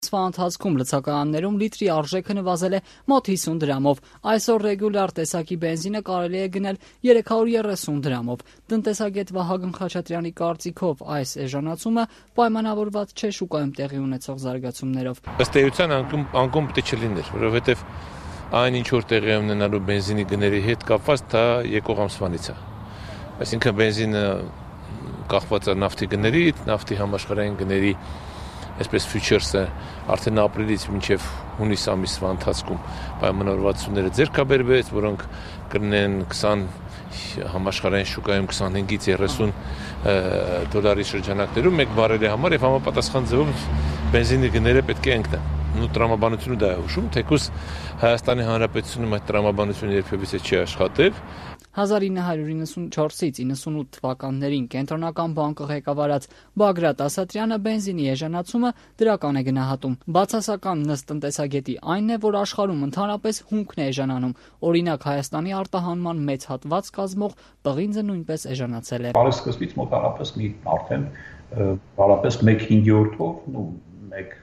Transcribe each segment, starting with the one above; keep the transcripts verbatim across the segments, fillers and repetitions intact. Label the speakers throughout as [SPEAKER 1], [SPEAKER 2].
[SPEAKER 1] Ամսվա ընթացքում լցակայաններում լիտրի արժեքը նվազել է մոտ հիսուն դրամով։ Այսօր ռեգուլյար տեսակի բենզինը կարելի է գնել երեք հարյուր երեսուն դրամով։ Տնտեսագետ Վահագն Խաչատրյանի կարծիքով այս էժանացումը պայմանավորված չէ շուկայում տեղի ունեցող զարգացումներով։
[SPEAKER 2] Ըստ էության անկում պետք է չլիներ, որովհետև այն ինչ որ տեղի ունենալու բենզինի գների հետ կապված դա եկող ամսվանից է։ Այսինքն բենզինը կախված է նավթի գներից, նավթի համաշխարհային գների այսպես ֆյուչերսը արդեն ապրիլից մինչև հունիս ամիսվա ընթացքում պայմանավորվածությունները ձեռքաբերվեց, որոնք կլինեն քսան համաշխարհային շուկայում քսանհինգից երեսուն դոլարի շրջանակներում մեկ բարելի համար եւ համապատասխան ձևով բենզինի գները պետք է ընկնեն։ Ու տրամաբանությունը դա է հուշում, թեկուզ Հայաստանի Հանրապետությունում այդ տրամաբանությունը երբևիցե չի աշխատել։
[SPEAKER 1] հազար ինը հարյուր իննսունչորսից իննսունութ թվականներին Կենտրոնական բանկը ղեկավարած Բագրատ Ասատրյանը բենզինի էժանացումը դրական է գնահատում։ Բացասականն ըստ տնտեսագետի այն է, որ աշխարհում ընդհանրապես հումքն է էժանանում։ Օրինակ Հայաստանի արտահանման մեծ հատված կազմող պղինձը նույնպես էժանացել է։
[SPEAKER 3] Բարեսկզբից մոտավորապես մի արդեն բարապես մեկ հինգերորդով, ու մեկ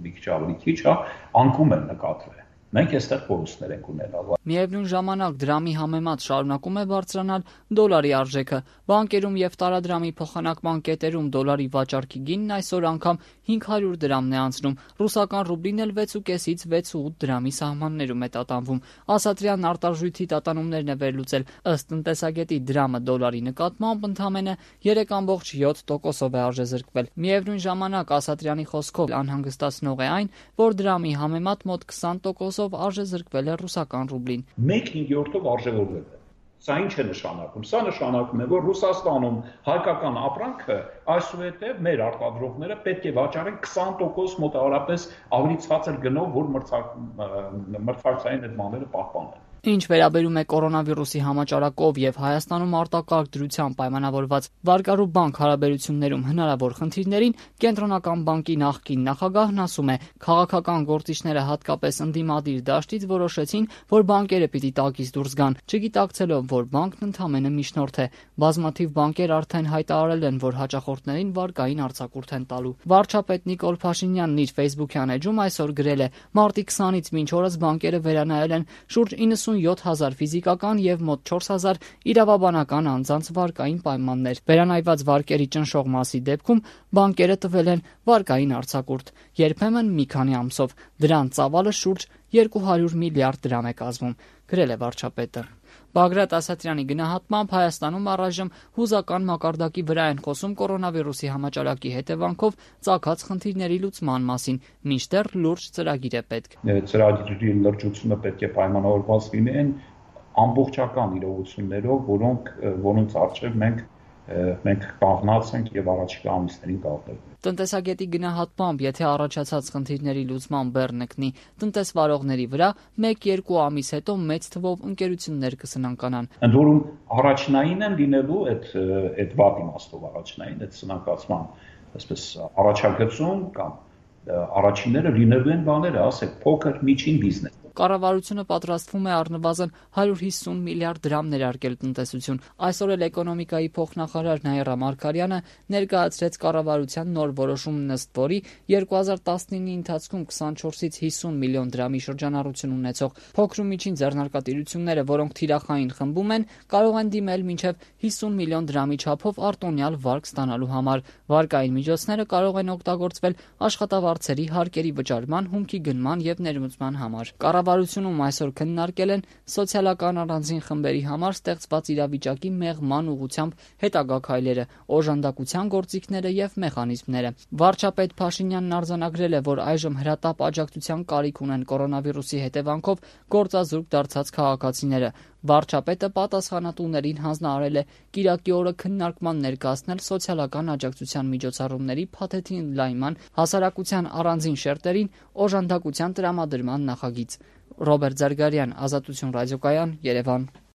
[SPEAKER 3] մի քիչ ավելի քիչ, հա, անկում են նկատվել։ Մենք այստեղ կորուստներ ենք ունենալ։
[SPEAKER 1] Միևնույն ժամանակ դրամի համեմատ շարունակում է բարձրանալ դոլարի արժեքը։ Բանկերում եւ տարադրամի փոխանակման կետերում դոլարի վաճառքի գինն այսօր անգամ հինգ հարյուր դրամն է անցնում։ Ռուսական ռուբլին էլ վեց ու կեսից վեց ու ութ դրամի սահմաններում է տատանվում։ Ասատրյանն արտարժույթի տատանումներն է վերլուծել։ Ըստ տնտեսագետի դրամը դոլարի նկատմամբ ընդամենը երեք կόμկոմ յոթ տոկոսով է արժեզրկվել։ Միևնույն ժամանակ Ասատրյանի խոսքով անհանգստացնող է այն, որ դրամի համեմատ մոտ քսան տոկոսով արժեզրկվել է ռուսական ռուբլին։
[SPEAKER 3] Մեկ հինգերորդով արժևորվել է։ Սա ինչ է նշանակում։ Սա նշանակում է, որ Ռուսաստանում հայկական ապրանքը այսուհետև մեր արտադրողները պետք է վաճառեն քսան տոկոս մոտավորապես ավելի ցածր գնով, որ մրցակցային այդ բաները պահպանեն։
[SPEAKER 1] Ինչ վերաբերում է կորոնավիրուսի համաճարակով եւ Հայաստանում արտակարգ դրությամբ պայմանավորված վարկառու բանկ հարաբերություններում հնարավոր խնդիրներին, Կենտրոնական բանկի նախկին նախագահն ասում է, քաղաքական գործիչները հատկապես ընդդիմադիր դաշտից որոշեցին, որ բանկերը պիտի տակից դուրս գան, չգիտակցելով, որ բանկն ընդամենը միջնորդ է։ Բազմաթիվ բանկեր արդեն հայտարարել են, որ հաճախորդներին վարկային արձակուրդ են տալու։ Վարչապետ Նիկոլ Փաշինյանն իր Facebook-յան էջում այսօր գրել է. Մարտի քսանից մինչ օրս բանկերը վերանայել են շուրջ իննսունյոթ հազար ֆիզիկական եւ մոտ չորս հազար իրավաբանական անձանց վարկային պայմաններ։ Վերանայված վարկերի ճնշող մասի դեպքում բանկերը տվել են վարկային արձակուրդ, երբեմն մի քանի ամսով։ Դրան ծավալը շուրջ երկու հարյուր միլիարդ դրամ է կազմում, գրել է վարչապետը։ Բագրատ Ասատրյանի գնահատմամբ Հայաստանում առայժմ հուզական մակարդակի վրա են խոսում կորոնավիրուսի համաճարակի հետևանքով ծագած խնդիրների լուծման մասին, մինչդեռ լուրջ ծրագիր է պետք։
[SPEAKER 3] Ծրագրի լրջությունը պետք է պայմանավորված լինեն ամբողջական իրողություններով, որոնք որոնց առջև մենք մենք կանգնած ենք եւ առաջիկա ամիսներին կապտենք։
[SPEAKER 1] Տնտեսագետի գնահատմամբ, եթե առաջացած խնդիրների լուծման բեռնը կնի տնտեսվարողների վրա, մեկ-երկու ամիս հետո մեծ թվով ընկերություններ կսնանկանան։
[SPEAKER 3] Ընդ որում առաջնային են լինելու այդ այդ վատ իմաստով առաջնային այդ սնանկացման, այսպես առաջագծում կամ առաջինները լինելու են բաները, ասեք, փոքր միջին բիզնես։
[SPEAKER 1] Կառավարությունը պատրաստվում է առնվազն հարյուր հիսուն միլիարդ դրամ ներարկել տնտեսություն։ Այսօր էլ էկոնոմիկայի փոխնախարար Նաիրա Մարգարյանը ներկայացրեց կառավարության նոր որոշումն, ըստ որի երկու հազար տասնինի ընթացքում քսանչորսից հիսուն միլիոն դրամի շրջանառություն ունեցող փոքր ու միջին ձեռնարկատիրությունները, որոնք թիրախային խմբում են, կարող են դիմել մինչև հիսուն միլիոն դրամի չափով արտոնյալ վարկ ստանալու համար։ Վարկային միջոցները կարող են օգտագործվել աշխատավարձերի հարկերի վճարման, հումքի գնման եւ ներմուծման համար։ Կառավարությունում այսօր քննարկել են սոցիալական առանձին խմբերի համար ստեղծված իրավիճակի մեղման ուղղությամբ հետագա քայլերը, օժանդակության գործիքները եւ մեխանիզմները։ Վարչապետ Փաշինյանն արձանագրել է, որ այժմ հրատապ աջակցության կարիք ունեն կորոնավիրուսի հետևանքով գործազուրկ դարձած քաղաքացիները։ Վարչապետը պատասխանատուներին հանձնարարել է կիրակի օրը քննարկման ներկայացնել սոցիալական աջակցության միջոցառումների փաթեթի ընդլայնման, հասարակության առանձին շերտերին օժանդակության տրամադրման նախագիծ։ Ռոբերտ Զարգարյան, Ազատություն ռադիոկայան, Երևան։